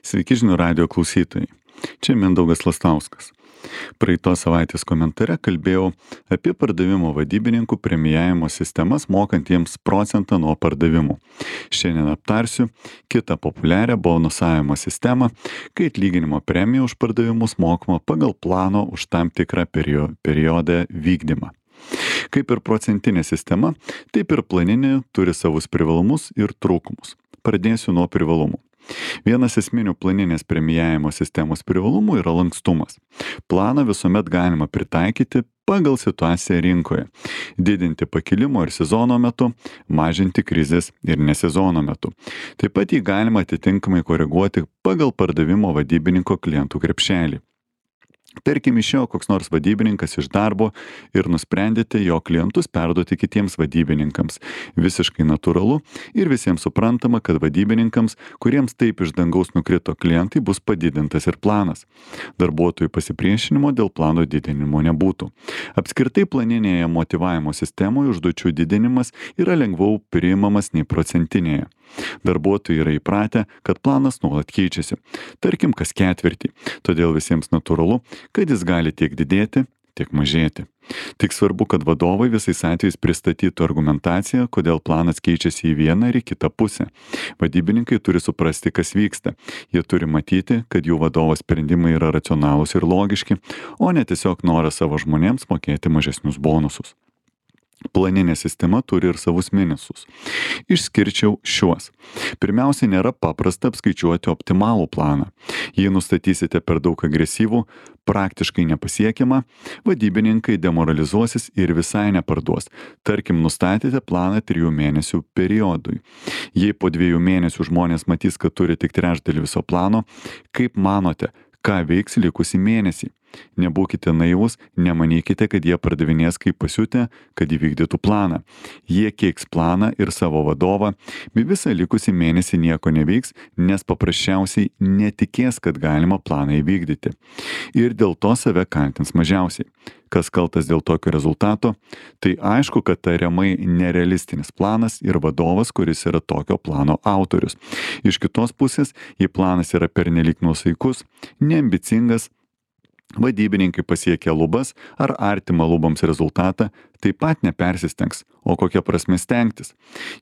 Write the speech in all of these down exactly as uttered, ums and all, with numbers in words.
Sveiki žinių radijo klausytojai. Čia Mindaugas Lastauskas. Praeitos savaitės komentare kalbėjau apie pardavimo vadybininkų premijavimo sistemas mokantiems procentą nuo pardavimų. Šiandien aptarsiu kitą populiarią bonusavimo sistemą, kai atlyginimo premija už pardavimus mokama pagal plano už tam tikrą perio- periodą vykdymą. Kaip ir procentinė sistema, taip ir planinė turi savus privalumus ir trūkumus. Pradėsiu nuo privalumų. Vienas esminių planinės premijavimo sistemos privalumų yra lankstumas. Planą visuomet galima pritaikyti pagal situaciją rinkoje, didinti pakilimo ir sezono metu, mažinti krizės ir nesezono metu. Taip pat jį galima atitinkamai koreguoti pagal pardavimo vadybininko klientų krepšelį. Tarkim, išėjo koks nors vadybininkas iš darbo ir nusprendėte jo klientus perduoti kitiems vadybininkams. Visiškai natūralu ir visiems suprantama, kad vadybininkams, kuriems taip iš dangaus nukrito klientai, bus padidintas ir planas. Darbuotojų pasipriešinimo dėl plano didinimo nebūtų. Apskritai planinėje motyvavimo sistemoje užduočių didinimas yra lengviau priimamas nei procentinėje. Darbuotojai yra įpratę, kad planas nuolat keičiasi. Tarkim, kas ketvirtį. Todėl visiems natūralu, kad jis gali tiek didėti, tiek mažėti. Tik svarbu, kad vadovai visais atvejais pristatytų argumentaciją, kodėl planas keičiasi į vieną ir į kitą pusę. Vadybininkai turi suprasti, kas vyksta. Jie turi matyti, kad jų vadovo sprendimai yra racionalūs ir logiški, o ne tiesiog noras savo žmonėms mokėti mažesnius bonusus. Planinė sistema turi ir savus minusus. Išskirčiau šiuos. Pirmiausia, nėra paprasta apskaičiuoti optimalų planą. Jei nustatysite per daug agresyvų, praktiškai nepasiekiamą, vadybininkai demoralizuosis ir visai neparduos. Tarkim, nustatėte planą trijų mėnesių periodui. Jei po dviejų mėnesių žmonės matys, kad turi tik trečdalį viso plano, kaip manote, ką veiks likusį mėnesį? Nebūkite naivūs, nemanykite, kad jie pardavinės kaip pasiutę, kad įvykdytų planą. Jie keiks planą ir savo vadovą, bei visą likusį mėnesį nieko neveiks, nes paprasčiausiai netikės, kad galima planą įvykdyti. Ir dėl to save kaltins mažiausiai. Kas kaltas dėl tokio rezultato? Tai aišku, kad tariamai nerealistinis planas ir vadovas, kuris yra tokio plano autorius. Iš kitos pusės, jei planas yra pernelyg nuosaikus, neambicingas, vadybininkai pasiekia lubas ar artimą lubams rezultatą, taip pat nepersistengs, o kokia prasme stengtis.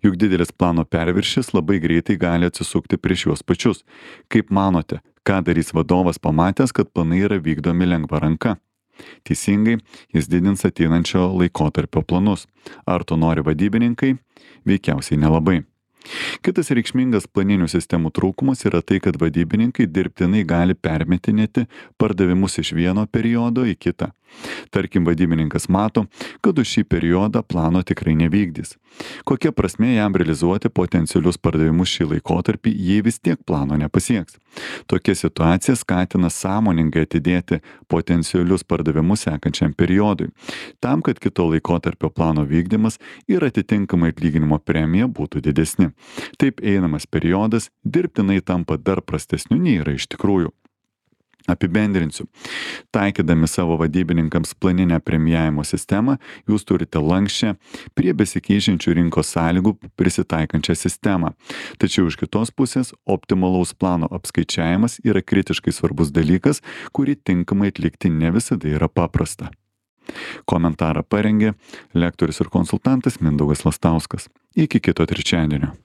Juk didelis plano perviršis labai greitai gali atsisukti prieš juos pačius. Kaip manote, ką darys vadovas pamatęs, kad planai yra vykdomi lengva ranka? Teisingai, jis didins ateinančio laikotarpio planus. Ar to nori vadybininkai? Veikiausiai nelabai. Kitas reikšmingas planinių sistemų trūkumas yra tai, kad vadybininkai dirbtinai gali permetinėti pardavimus iš vieno periodo į kitą. Tarkim, vadybininkas mato, kad už šį periodą plano tikrai nevykdys. Kokia prasmė jam realizuoti potencialius pardavimus šį laikotarpį, jei vis tiek plano nepasieks? Tokia situacija skatina sąmoningai atidėti potencialius pardavimus sekančiam periodui, tam, kad kito laikotarpio plano vykdymas ir atitinkamai atlyginimo premija būtų didesni. Taip einamas periodas dirbtinai tampa dar prastesniu nei yra iš tikrųjų. Apibendrinsiu. Taikydami savo vadybininkams planinę premijavimo sistemą, jūs turite lankščią, prie besikeičiančių rinkos sąlygų prisitaikančią sistemą. Tačiau iš kitos pusės, optimalaus plano apskaičiavimas yra kritiškai svarbus dalykas, kurį tinkamai atlikti ne visada yra paprasta. Komentarą parengė lektorius ir konsultantas Mindaugas Lastauskas. Iki kito trečiadienio.